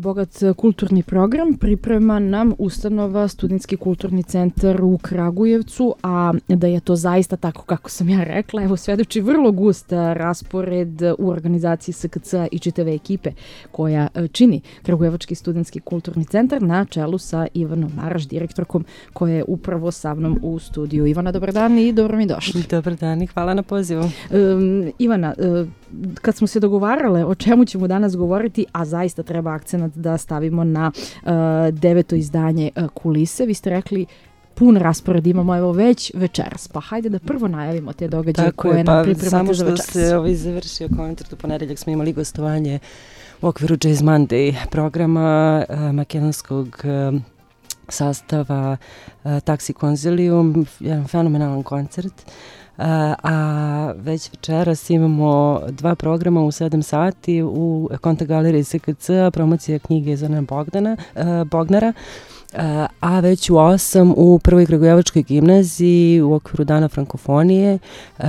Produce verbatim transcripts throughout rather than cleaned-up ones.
Bogat kulturni program priprema nam ustanova Studentski kulturni centar u Kragujevcu, a da je to zaista tako kako sam ja rekla, evo svedoči vrlo gust raspored u organizaciji S K C-a i čitave ekipe koja čini Kragujevački studentski kulturni centar na čelu sa Ivanom Maraš, direktorkom, koja je upravo sa mnom u studiju. Ivana, dobar dan i dobro mi došli. Dobar dan i hvala na pozivu. Um, Ivana, uh, kad smo se dogovarale o čemu ćemo danas govoriti, a zaista treba akcenat da stavimo na uh, deveto izdanje uh, Kulise, vi ste rekli pun raspored imamo evo već večeras, pa hajde da prvo najavimo te događaje Tako koje je, nam pa pripremate za večeras. Samo što se ovaj završio koncert u ponedeljak, smo imali gostovanje u okviru Jazz Monday programa uh, makedonskog uh, sastava uh, Taxi Konzilium, jedan fenomenalan koncert. Uh, a već večeras imamo dva programa u sedam sati u Konta galeriji S K C-a, promocija knjige Zorana Bogdana, uh, Bognara, uh, a već u osam u Prvoj Kragujevačkoj gimnaziji u okviru Dana frankofonije uh,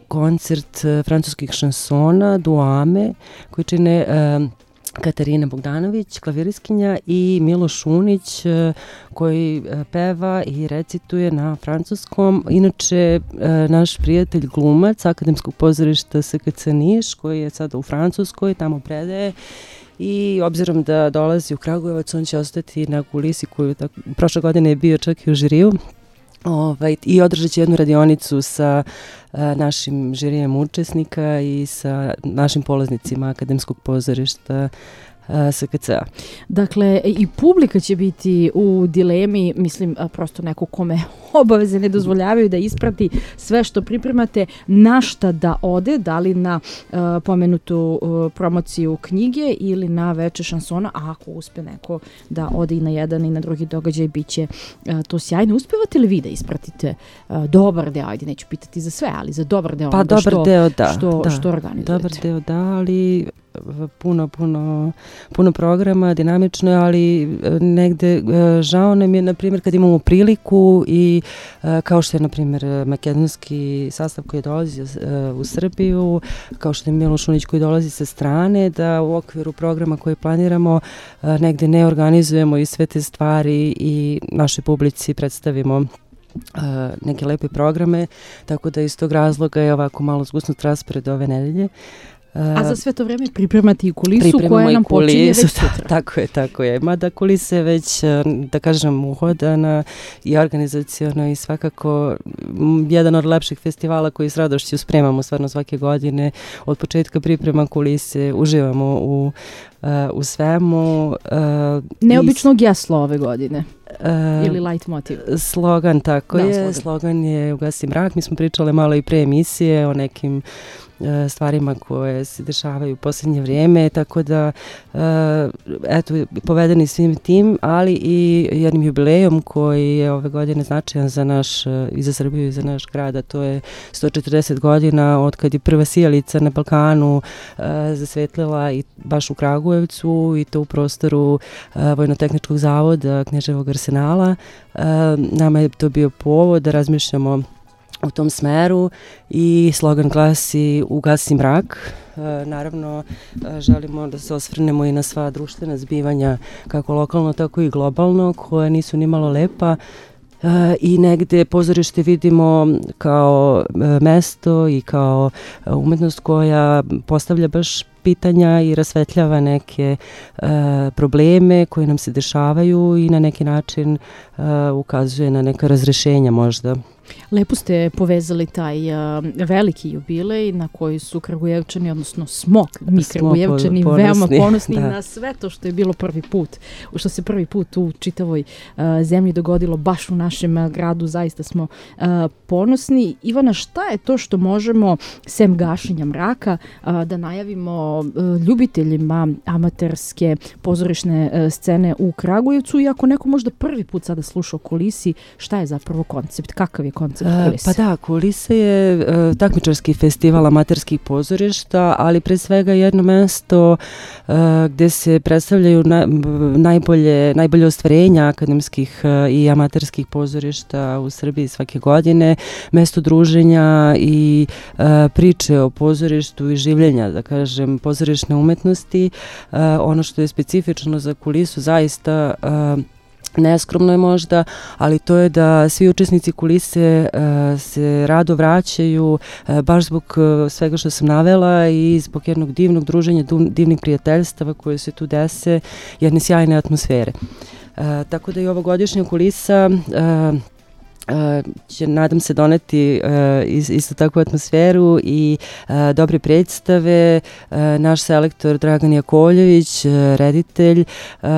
koncert uh, francuskih šansona Duame koji čine uh, Katarina Bogdanović, klaviriskinja, i Miloš Šunić koji peva i recituje na francuskom. Inače, naš prijatelj glumac Akademskog pozorišta S K C Niš, koji je sada u Francuskoj, tamo predaje. I obzirom da dolazi u Kragujevac, on će ostati na kulisi koju tako, prošle godine je bio čak i u žiriju. Ovaj, i održat će jednu radionicu sa a, našim žirijem učesnika i sa našim polaznicima Akademskog pozorišta S K C-a. Dakle, i publika će biti u dilemi, mislim, prosto neko kome obaveze ne dozvoljavaju da isprati sve što pripremate, na šta da ode, da li na uh, pomenutu uh, promociju knjige ili na veče šansona, a ako uspe neko da ode i na jedan i na drugi događaj, bit će uh, to sjajno. Uspevate li vi da ispratite uh, dobar deo, ajde neću pitati za sve, ali za dobar deo pa onoga dobar što, deo, da, što, da, što organizujete? Dobar deo, da, ali puno, puno, puno programa, dinamično, ali negde žao nam je, na primjer, kad imamo priliku i kao što je, na primjer, makedonski sastav koji dolazi u Srbiju, kao što je Miloš Šunić koji dolazi sa strane, da u okviru programa koji planiramo negde ne organizujemo i sve te stvari i našoj publici predstavimo Uh, neke lepe programe, tako da iz tog razloga je ovako malo zgusnut raspored ove nedelje. Uh, A za sve to vreme pripremati i kulisu koja nam počinje već sutra. Tako je, tako je. Mada kulisa je već, da kažem, uhodana i organizacijono i svakako jedan od lepših festivala koji s radošću spremamo stvarno svake godine. Od početka priprema kulise uživamo u, uh, u svemu. Uh, Neobičnog jasla ove godine. Uh, ili light motiv. Slogan, tako da, je. Slogan. slogan je Ugasi mrak. Mi smo pričale malo i pre emisije o nekim uh, stvarima koje se dešavaju u posljednje vrijeme, tako da uh, eto, povedeni svim tim, ali i jednim jubilejom koji je ove godine značajan za naš, uh, i za Srbiju i za naš grad, a to je sto četrdeset godina od kad je prva sijalica na Balkanu uh, zasvetlila i baš u Kragujevcu i to u prostoru uh, Vojno-tehničkog zavoda Knježevog arsenala. Uh, nama je to bio povod da razmišljamo u tom smeru i slogan glasi Ugasi mrak. Uh, naravno, uh, želimo da se osvrnemo i na sva društvena zbivanja, kako lokalno, tako i globalno, koja nisu ni malo lepa. Uh, I negde pozorište vidimo kao uh, mesto i kao uh, umetnost koja postavlja baš pitanja i rasvetljava neke uh, probleme koji nam se dešavaju i na neki način uh, ukazuje na neka razrešenja možda. Lepo ste povezali taj uh, veliki jubilej na koji su Kragujevčani, odnosno smo mi Kragujevčani po, veoma ponosni da. na sve to što je bilo prvi put, što se prvi put u čitavoj uh, zemlji dogodilo baš u našem uh, gradu, zaista smo uh, ponosni. Ivana, šta je to što možemo, sem gašenja mraka, uh, da najavimo uh, ljubiteljima amaterske pozorišne uh, scene u Kragujevcu, i ako neko možda prvi put sada sluša o kulisi, šta je zapravo koncept, kakav je koncept kulise? Pa da, Kulise je uh, takmičarski festival amaterskih pozorišta, ali pre svega jedno mesto uh, gde se predstavljaju na, najbolje, najbolje ostvarenja akademskih uh, i amaterskih pozorišta u Srbiji svake godine, mesto druženja i uh, priče o pozorištu i življenja, da kažem, pozorišne umetnosti. Uh, ono što je specifično za Kulisu zaista uh, neskromno je možda, ali to je da svi učesnici Kulise uh, se rado vraćaju uh, baš zbog uh, svega što sam navela i zbog jednog divnog druženja, divnih prijateljstava koje se tu dese, jedne sjajne atmosfere. Uh, tako da i ovogodišnja Kulisa uh, Uh, će, nadam se, doneti uh, is, isto takvu atmosferu i uh, dobre predstave. Uh, naš selektor Dragan Jakovljević, uh, reditelj, uh,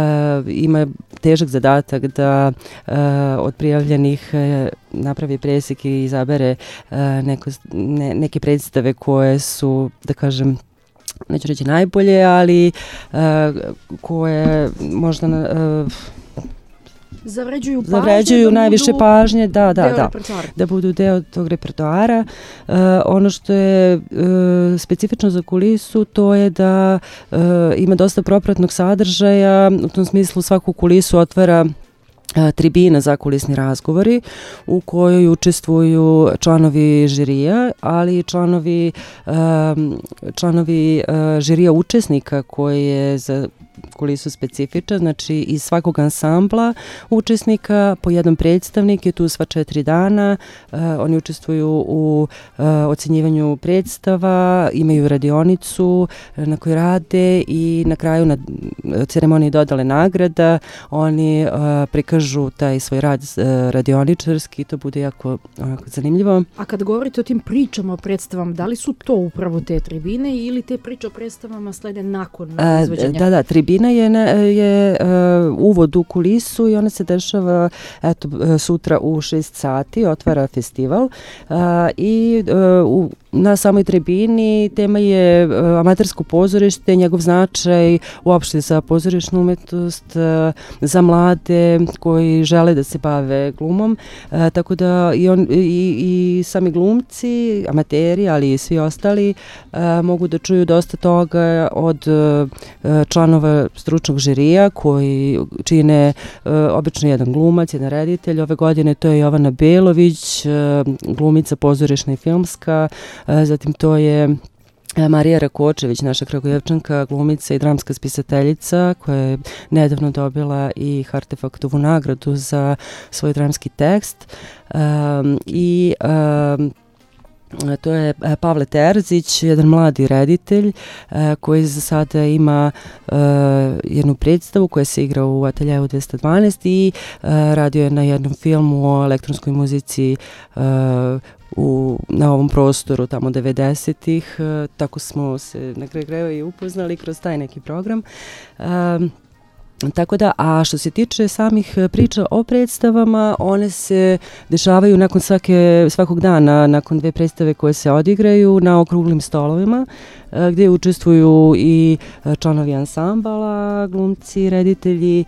ima težak zadatak da uh, od prijavljenih uh, napravi presek i izabere uh, neko, ne, neke predstave koje su, da kažem, neću reći najbolje, ali uh, koje možda uh, Zavređuju pažnje, zavređuju da najviše pažnje, da, da, da, repertoara. da budu deo tog repertoara. Uh, ono što je uh, specifično za Kulisu, to je da uh, ima dosta propratnog sadržaja, u tom smislu svaku Kulisu otvara tribina za kulisni razgovori u kojoj učestvuju članovi žirija, ali i članovi, um, članovi uh, žirija učesnika koji je za Kulisu specifičan, znači iz svakog ansambla učesnika po jedan predstavnik je tu sva četiri dana, uh, oni učestvuju u uh, ocenjivanju predstava, imaju radionicu na kojoj rade i na kraju na ceremoniji dodale nagrada oni uh, prikažu taj svoj rad uh, radioničarski, to bude jako onako zanimljivo. A kad govorite o tim pričama o predstavama, da li su to upravo te tribine ili te priče o predstavama slede nakon izvođenja? Da, da, tribina je, je uh, uvod u Kulisu i ona se dešava eto, sutra u šest sati, otvara festival uh, i uh, u na samoj tribini tema je uh, amatersko pozorište, njegov značaj uopšte za pozorišnu umetnost, uh, za mlade koji žele da se bave glumom, uh, tako da i, on, i, i sami glumci, amateri, ali i svi ostali uh, mogu da čuju dosta toga od uh, članova stručnog žirija koji čine uh, obično jedan glumac, jedan reditelj. Ove godine to je Jovana Belović, uh, glumica pozorišna i filmska, zatim to je Marija Rakočević, naša Kragujevčanka, glumica i dramska spisateljica koja je nedavno dobila i Hartefaktovu nagradu za svoj dramski tekst. Um, I um, to je Pavle Terzić, jedan mladi reditelj koji za sada ima jednu predstavu koja se igra u Ateljevu dvesta dvanaest i radio je na jednom filmu o elektronskoj muzici u, na ovom prostoru tamo devedesetih. Tako smo se na kraju krajeva i upoznali kroz taj neki program. Um, Tako da, a što se tiče samih priča o predstavama, one se dešavaju nakon svake, svakog dana, nakon dve predstave koje se odigraju na okruglim stolovima, gdje učestvuju i članovi ansambala, glumci, reditelji,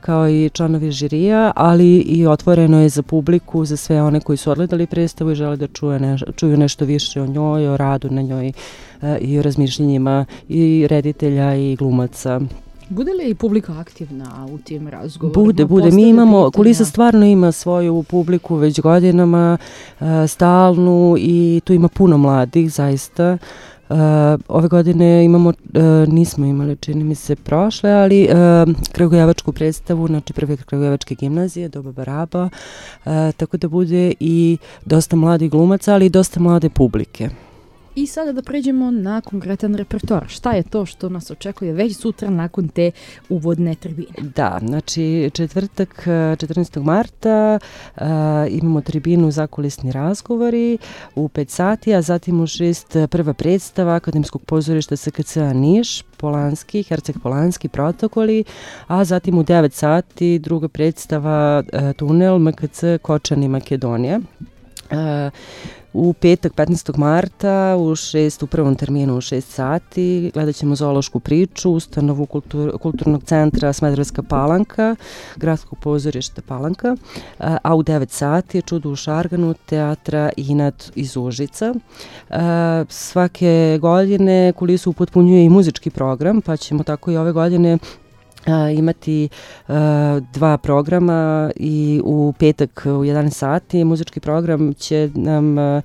kao i članovi žirija, ali i otvoreno je za publiku, za sve one koji su odgledali predstavu i žele da čuje ne, čuju nešto više o njoj, o radu na njoj i o razmišljenjima i reditelja i glumaca. Bude li i publika aktivna u tim razgovorima? Bude, bude. Mi imamo, Kulisa stvarno ima svoju publiku već godinama, uh, stalnu i tu ima puno mladih, zaista. Uh, ove godine imamo, uh, nismo imali, čini mi se, prošle, ali uh, kragujevačku predstavu, znači prve kragujevačke gimnazije, Doba Baraba, uh, tako da bude i dosta mladih glumaca, ali i dosta mlade publike. I sada da pređemo na konkretan repertoar. Šta je to što nas očekuje već sutra nakon te uvodne tribine? Da, znači četvrtak četrnaestog marta uh, imamo tribinu za kulisni razgovori u pet sati, a zatim u šest prva predstava Akademskog pozorišta S K C-a Niš, Polanski, Herceg Polanski, Protokoli, a zatim u devet sati druga predstava uh, Tunel M K C Kočani Makedonija. Uh, U petak petnaestog marta u šest, u prvom terminu u šest sati gledat ćemo zoološku priču, ustanovu kultur, kulturnog centra Smederevska Palanka, gradskog pozorišta Palanka, a, a u devet sati je Čudo u Šarganu teatra Inat iz Užica. A, svake godine kulisu upotpunjuje i muzički program, pa ćemo tako i ove godine Uh, imati uh, dva programa i u petak u jedanaest sati muzički program će nam uh,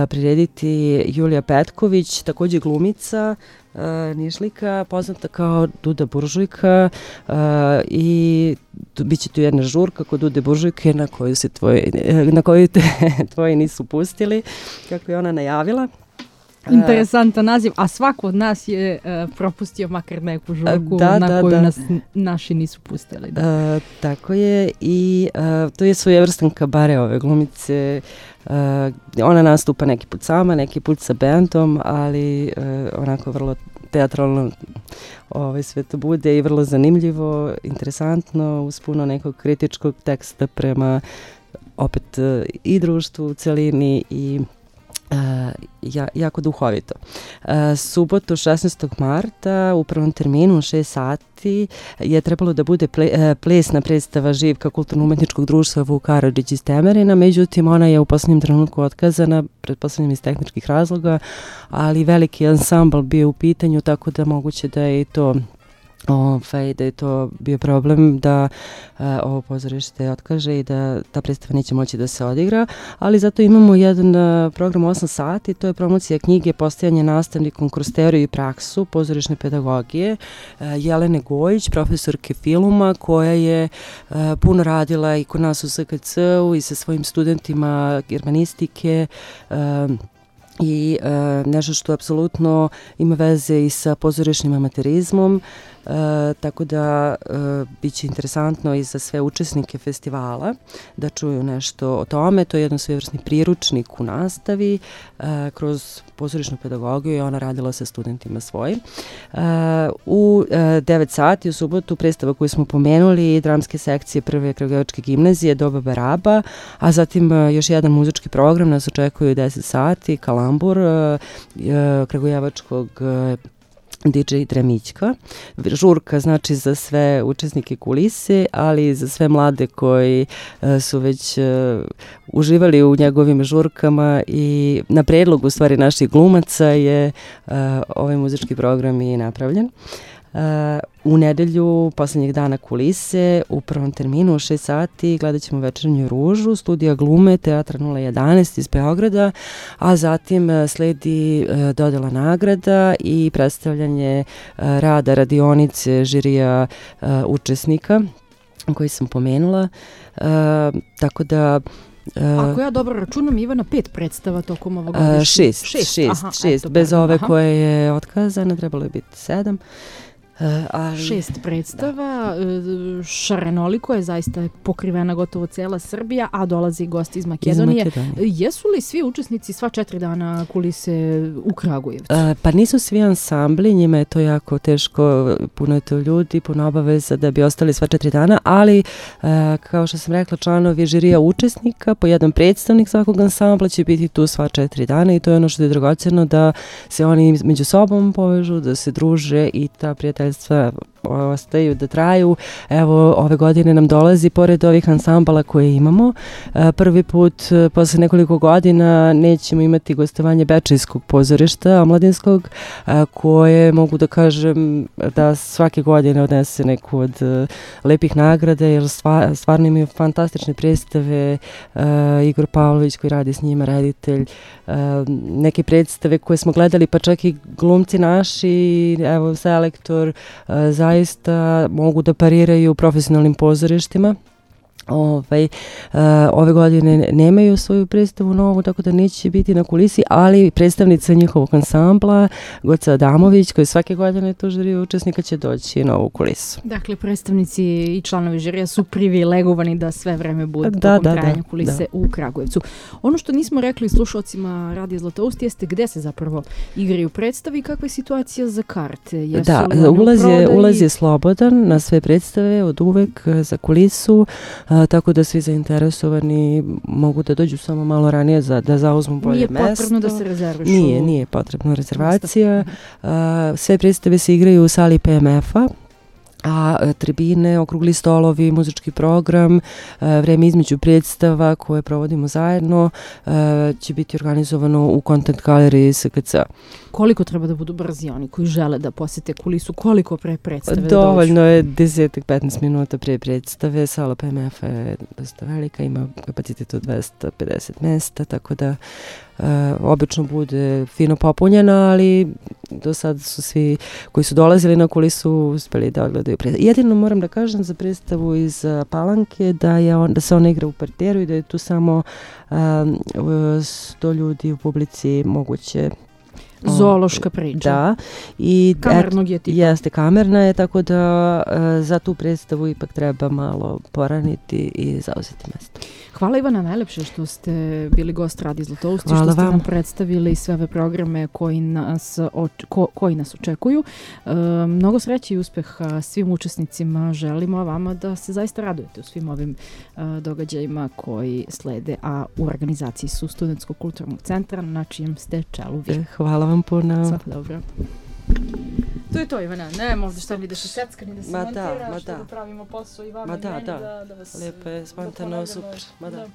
prirediti Julija Petković, također glumica, uh, Nišlika, poznata kao Duda Buržujka, uh, i tu, bit će tu jedna žurka kod Dude Buržujke na koju, se tvoji, na koju te tvoji nisu pustili, kako je ona najavila. Interesantan naziv, a svako od nas je uh, propustio makar neku žurku da, na da, koju da. nas naši nisu pustili. Da. Uh, tako je i uh, to je svojevrstan kabare ove glumice. Uh, ona nastupa neki put sama, neki put sa bendom, ali uh, onako vrlo teatralno ovaj, sve to bude i vrlo zanimljivo, interesantno, uz puno nekog kritičkog teksta prema opet uh, i društvu u celini i Uh, ja, jako duhovito. Uh, subotu šesnaestog marta u prvom terminu u šest sati je trebalo da bude ple, uh, plesna predstava Živka kulturno-umetničkog društva Vuk Karadžić iz Temerina, međutim ona je u posljednjem trenutku otkazana, pretpostavljam iz tehničkih razloga, ali veliki ansambl bio u pitanju, tako da moguće da je i to Ovaj, da je to bio problem da uh, ovo pozorište otkaže i da ta predstava neće moći da se odigra, ali zato imamo jedan uh, program osam sati, to je promocija knjige Postajanje nastavnikom kroz teoriju i praksu pozorišne pedagogije uh, Jelene Gojić, profesorke filma, koja je uh, puno radila i kod nas u S K C-u i sa svojim studentima germanistike, uh, i uh, nešto što apsolutno ima veze i sa pozorišnim amaterizmom, uh, tako da uh, bit će interesantno i za sve učesnike festivala da čuju nešto o tome. To je jedan svojevrsni priručnik u nastavi uh, kroz pozorišnu pedagogiju i ona radila sa studentima svojim. Uh, u uh, devet sati u subotu predstava koju smo pomenuli, dramske sekcije prve Kragujevačke gimnazije Doba Baraba, a zatim uh, još jedan muzički program nas očekuju u deset sati, Kalambur uh, uh, Kragujevačkog uh, D J Dremićka. Žurka znači za sve učesnike kulise, ali i za sve mlade koji uh, su već uh, uživali u njegovim žurkama i na predlog u stvari naših glumaca je uh, ovaj muzički program i napravljen. Uh, u nedelju posljednjeg dana kulise u prvom terminu u šest sati gledat ćemo Večernju ružu, studija glume Teatra nula jedanaest iz Beograda, a zatim uh, sledi uh, dodela nagrada i predstavljanje uh, rada radionice žirija uh, učesnika koji sam pomenula, uh, tako da Uh, Ako ja dobro računam, Ivana, pet predstava tokom ovog godišnjeg. Uh, šest, šest, šest, aha, šest. Eto, bez ove aha. koje je otkazana, trebalo je biti sedam. Uh, ali... Šest predstava, šarenoliko je, zaista pokrivena gotovo cela Srbija, a dolazi gosti iz Makedonije. Iz Makedonije. Jesu li svi učesnici sva četiri dana kulise u Kragujevcu? Uh, pa nisu svi ansambli, njima je to jako teško, puno je to ljudi, puno obaveza da bi ostali sva četiri dana, ali uh, kao što sam rekla, članovi žirija učesnika, po jedan predstavnik svakog ansambla će biti tu sva četiri dana i to je ono što je dragocjeno, da se oni među sobom povežu, da se druže i ta prijateljstva ostaju da traju. Evo, ove godine nam dolazi, pored ovih ansambala koje imamo, prvi put posle nekoliko godina nećemo imati gostovanje Bečejskog pozorišta omladinskog, koje mogu da kažem da svake godine odnese neku od lepih nagrada, jer stvarno imaju fantastične predstave. Igor Pavlović koji radi s njima, reditelj, neke predstave koje smo gledali, pa čak i glumci naši, evo selektor, zaista mogu da pariraju profesionalnim pozorištima. Ovaj, uh, ove godine nemaju svoju predstavu novu, tako da neće biti na kulisi, ali predstavnica njihovog ansambla, Goca Adamović, koji svake godine tu žirija učesnika, će doći na ovu kulisu. Dakle, predstavnici i članovi žirija su privilegovani da sve vreme budu da, tokom da, trajanja da, kulise da. u Kragujevcu. Ono što nismo rekli slušalcima Radija Zlatoust jeste gde se zapravo igraju predstavi i kakva je situacija za karte. Jesu da, ulaz je, ulaz je slobodan na sve predstave od uvek za kulisu. Uh, a, tako da svi zainteresovani mogu da dođu samo malo ranije za, da zauzmu bolje mesto. Nije potrebno da se rezervišu? Nije, nije potrebno rezervacija. A, sve predstave se igraju u sali P M F-a, a tribine, okrugli stolovi, muzički program, vreme između predstava koje provodimo zajedno će biti organizovano u Content Galeriji S K C. Koliko treba da budu brzi oni koji žele da posete kulisu? Koliko pre predstave da dođu? Dovoljno je deset do petnaest minuta pre predstave. Sala P M F je dosta velika, ima kapacitet od dvesta pedeset mesta, tako da Uh, obično bude fino popunjena, ali do sad su svi koji su dolazili na kulisu uspeli da odgledaju predstavu. Jedino moram da kažem za predstavu iz uh, Palanke da, je on, da se ona igra u parteru i da je tu samo um, sto ljudi u publici moguće. Zoološka priča. Da. I kamernog je tipa. Jeste, kamerna je, tako da uh, za tu predstavu ipak treba malo poraniti i zauzeti mesto. Hvala Ivana najlepše što ste bili gost Radija Zlatousti, što ste nam predstavili sve ove programe koji nas, oč, ko, koji nas očekuju. E, mnogo sreće i uspeha svim učesnicima želimo, a vama da se zaista radujete u svim ovim e, događajima koji slede, a u organizaciji su Studentskog kulturnog centra na čijem ste čelu vi. Hvala vam puno. Svako dobro. To je to, Ivana, nema ovdje šta mi da se secka, ni da se montira, što da pravimo posao i vama i meni da, da vas... Lepo je, spontano, super. Ma da.